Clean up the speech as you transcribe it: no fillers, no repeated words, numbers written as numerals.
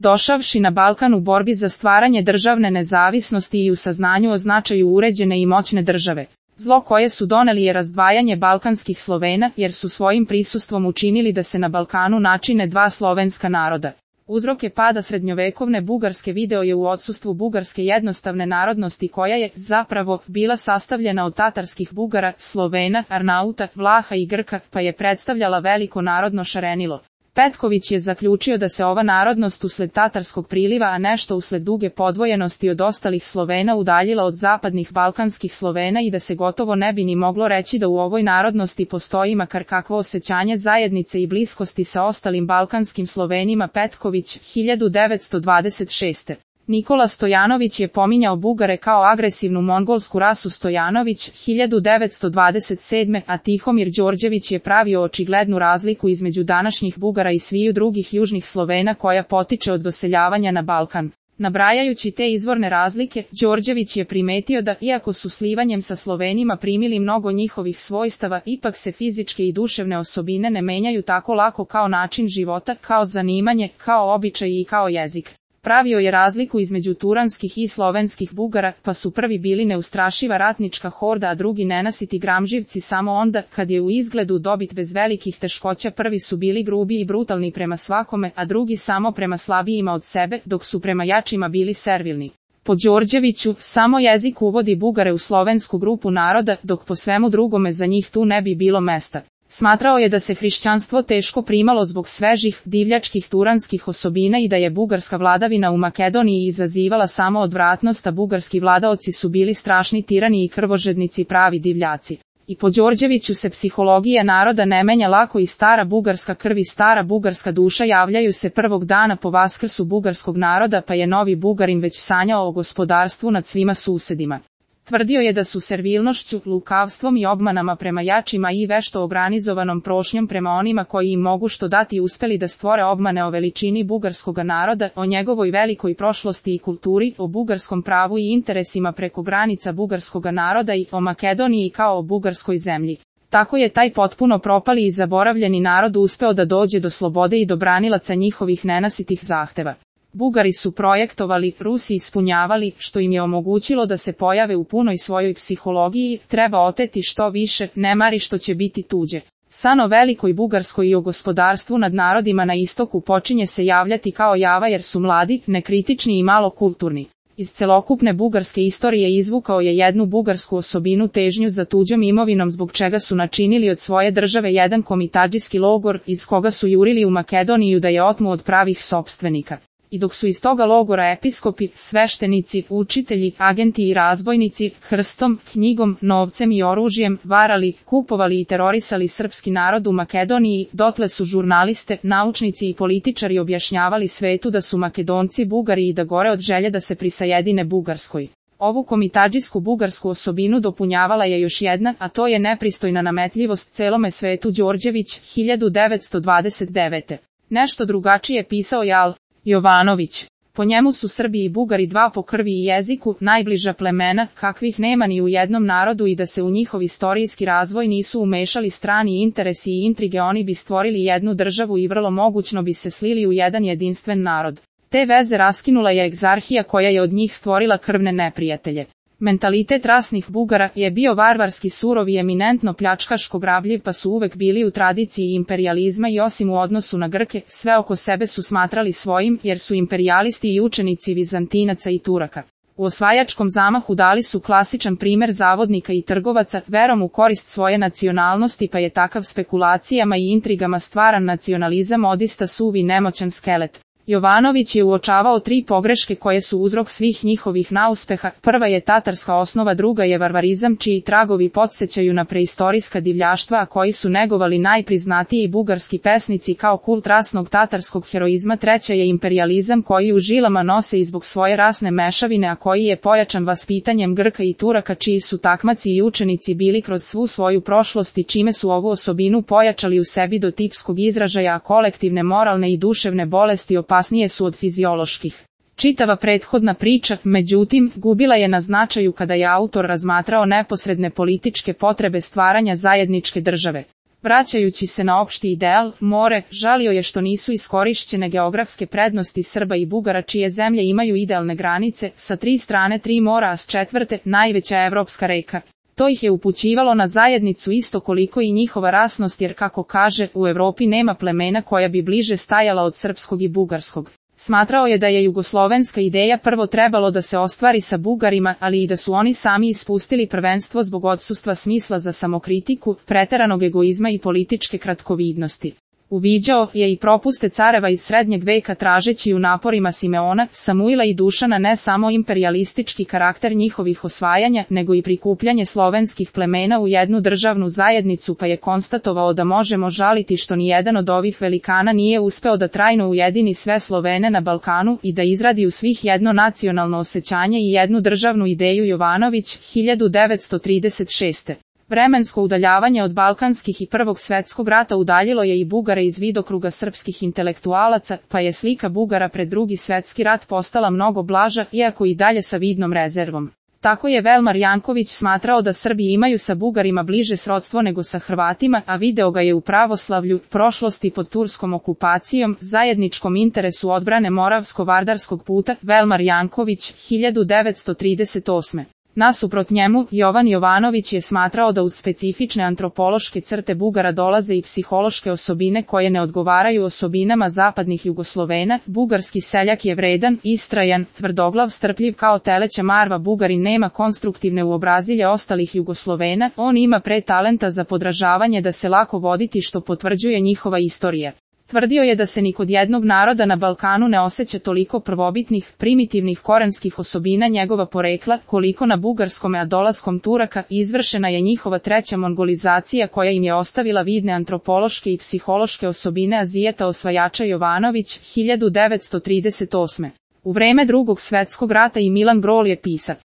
Došavši na Balkan u borbi za stvaranje državne nezavisnosti i u saznanju o značaju uređene i moćne države. Zlo koje su doneli je razdvajanje balkanskih Slovena, jer su svojim prisustvom učinili da se na Balkanu načine dva slovenska naroda. Uzroke pada srednjovekovne Bugarske video je u odsustvu bugarske jednostavne narodnosti koja je, zapravo, bila sastavljena od tatarskih Bugara, Slovena, Arnauta, Vlaha i Grka, pa je predstavljala veliko narodno šarenilo. Petković je zaključio da se ova narodnost usled tatarskog priliva, a nešto usled duge podvojenosti od ostalih Slovena udaljila od zapadnih balkanskih Slovena i da se gotovo ne bi ni moglo reći da u ovoj narodnosti postoji makar kakvo osjećanje zajednice i bliskosti sa ostalim balkanskim Slovenima. Petković, 1926. Nikola Stojanović je pominjao Bugare kao agresivnu mongolsku rasu. Stojanović, 1927. a Tihomir Đorđević je pravio očiglednu razliku između današnjih Bugara i sviju drugih južnih Slovena koja potiče od doseljavanja na Balkan. Nabrajajući te izvorne razlike, Đorđević je primetio da, iako su slivanjem sa Slovenima primili mnogo njihovih svojstava, ipak se fizičke i duševne osobine ne menjaju tako lako kao način života, kao zanimanje, kao običaj i kao jezik. Pravio je razliku između turanskih i slovenskih Bugara, pa su prvi bili neustrašiva ratnička horda, a drugi nenasiti gramživci samo onda, kad je u izgledu dobit bez velikih teškoća. Prvi su bili grubi i brutalni prema svakome, a drugi samo prema slabijima od sebe, dok su prema jačima bili servilni. Po Đorđeviću, samo jezik uvodi Bugare u slovensku grupu naroda, dok po svemu drugome za njih tu ne bi bilo mesta. Smatrao je da se hrišćanstvo teško primalo zbog svežih, divljačkih turanskih osobina i da je bugarska vladavina u Makedoniji izazivala samo odvratnost, a bugarski vladaoci su bili strašni tirani i krvožednici, pravi divljaci. I po Đorđeviću se psihologija naroda ne menja lako i stara bugarska krv i stara bugarska duša javljaju se prvog dana po vaskrsu bugarskog naroda, pa je novi Bugarin već sanjao o gospodarstvu nad svima susedima. Tvrdio je da su servilnošću, lukavstvom i obmanama prema jačima i vešto organizovanom prošnjom prema onima koji im mogu što dati uspeli da stvore obmane o veličini bugarskoga naroda, o njegovoj velikoj prošlosti i kulturi, o bugarskom pravu i interesima preko granica bugarskoga naroda i o Makedoniji kao o bugarskoj zemlji. Tako je taj potpuno propali i zaboravljeni narod uspeo da dođe do slobode i do branilaca njihovih nenasitih zahteva. Bugari su projektovali, Rusi ispunjavali, što im je omogućilo da se pojave u punoj svojoj psihologiji, treba oteti što više, ne mari što će biti tuđe. San o velikoj Bugarskoj i o gospodarstvu nad narodima na istoku počinje se javljati kao java jer su mladi, nekritični i malo kulturni. Iz celokupne bugarske istorije izvukao je jednu bugarsku osobinu, težnju za tuđom imovinom, zbog čega su načinili od svoje države jedan komitadžijski logor, iz koga su jurili u Makedoniju da je otmu od pravih sopstvenika. I dok su iz toga logora episkopi, sveštenici, učitelji, agenti i razbojnici, krstom, knjigom, novcem i oružjem, varali, kupovali i terorisali srpski narod u Makedoniji, dotle su žurnaliste, naučnici i političari objašnjavali svetu da su Makedonci Bugari i da gore od želje da se prisajedine Bugarskoj. Ovu komitadžijsku bugarsku osobinu dopunjavala je još jedna, a to je nepristojna nametljivost celome svetu. Đorđević, 1929. Nešto drugačije pisao je Al. Jovanović. Po njemu su Srbi i Bugari dva po krvi i jeziku, najbliža plemena, kakvih nema ni u jednom narodu, i da se u njihov istorijski razvoj nisu umešali strani interesi i intrige, oni bi stvorili jednu državu i vrlo mogućno bi se slili u jedan jedinstven narod. Te veze raskinula je egzarhija koja je od njih stvorila krvne neprijatelje. Mentalitet rasnih Bugara je bio varvarski, surov i eminentno pljačkaško grabljiv, pa su uvek bili u tradiciji imperijalizma i osim u odnosu na Grke, sve oko sebe su smatrali svojim, jer su imperijalisti i učenici Vizantinaca i Turaka. U osvajačkom zamahu dali su klasičan primer zavodnika i trgovaca, verom u korist svoje nacionalnosti, pa je takav spekulacijama i intrigama stvaran nacionalizam odista suvi nemoćan skelet. Jovanović je uočavao tri pogreške koje su uzrok svih njihovih neuspeha. Prva je tatarska osnova, druga je varvarizam čiji tragovi podsjećaju na preistorijska divljaštva, a koji su negovali najpriznatiji bugarski pesnici kao kult rasnog tatarskog heroizma. Treća je imperijalizam koji u žilama nose i zbog svoje rasne mešavine, a koji je pojačan vaspitanjem Grka i Turaka čiji su takmaci i učenici bili kroz svu svoju prošlost i čime su ovu osobinu pojačali u sebi do tipskog izražaja, a kolektivne moralne i duševne bolesti opasnije su od fizioloških. Čitava prethodna priča, međutim, gubila je na značaju kada je autor razmatrao neposredne političke potrebe stvaranja zajedničke države. Vraćajući se na opšti ideal, more, žalio je što nisu iskorišćene geografske prednosti Srba i Bugara čije zemlje imaju idealne granice, sa 3 strane 3 mora a s 4. najveća evropska reka. To ih je upućivalo na zajednicu isto koliko i njihova rasnost jer kako kaže, u Evropi nema plemena koja bi bliže stajala od srpskog i bugarskog. Smatrao je da je jugoslovenska ideja prvo trebalo da se ostvari sa Bugarima, ali i da su oni sami ispustili prvenstvo zbog odsustva smisla za samokritiku, preteranog egoizma i političke kratkovidnosti. Uviđao je i propuste careva iz srednjeg veka tražeći u naporima Simeona, Samuila i Dušana ne samo imperijalistički karakter njihovih osvajanja, nego i prikupljanje slovenskih plemena u jednu državnu zajednicu pa je konstatovao da možemo žaliti što nijedan od ovih velikana nije uspeo da trajno ujedini sve Slovene na Balkanu i da izradi u svih jedno nacionalno osjećanje i jednu državnu ideju. Jovanović, 1936. Vremensko udaljavanje od balkanskih i Prvog svjetskog rata udaljilo je i Bugare iz vidokruga srpskih intelektualaca, pa je slika Bugara pred Drugi svjetski rat postala mnogo blaža, iako i dalje sa vidnom rezervom. Tako je Velmar Janković smatrao da Srbi imaju sa Bugarima bliže srodstvo nego sa Hrvatima, a video ga je u pravoslavlju, prošlosti pod turskom okupacijom, zajedničkom interesu odbrane Moravsko-Vardarskog puta. Velmar Janković, 1938. Nasuprot njemu, Jovan Jovanović je smatrao da uz specifične antropološke crte Bugara dolaze i psihološke osobine koje ne odgovaraju osobinama zapadnih Jugoslovena. Bugarski seljak je vredan, istrajan, tvrdoglav, strpljiv kao teleća marva. Bugarin nema konstruktivne uobrazilje ostalih Jugoslovena, on ima talenta za podražavanje da se lako voditi što potvrđuje njihova istorija. Tvrdio je da se ni kod jednog naroda na Balkanu ne osjeća toliko prvobitnih, primitivnih korenskih osobina njegova porekla, koliko na bugarskome, a dolaskom Turaka izvršena je njihova treća mongolizacija koja im je ostavila vidne antropološke i psihološke osobine Azijeta osvajača. Jovanović, 1938. U vreme Drugog svjetskog rata i Milan Brol je pisac.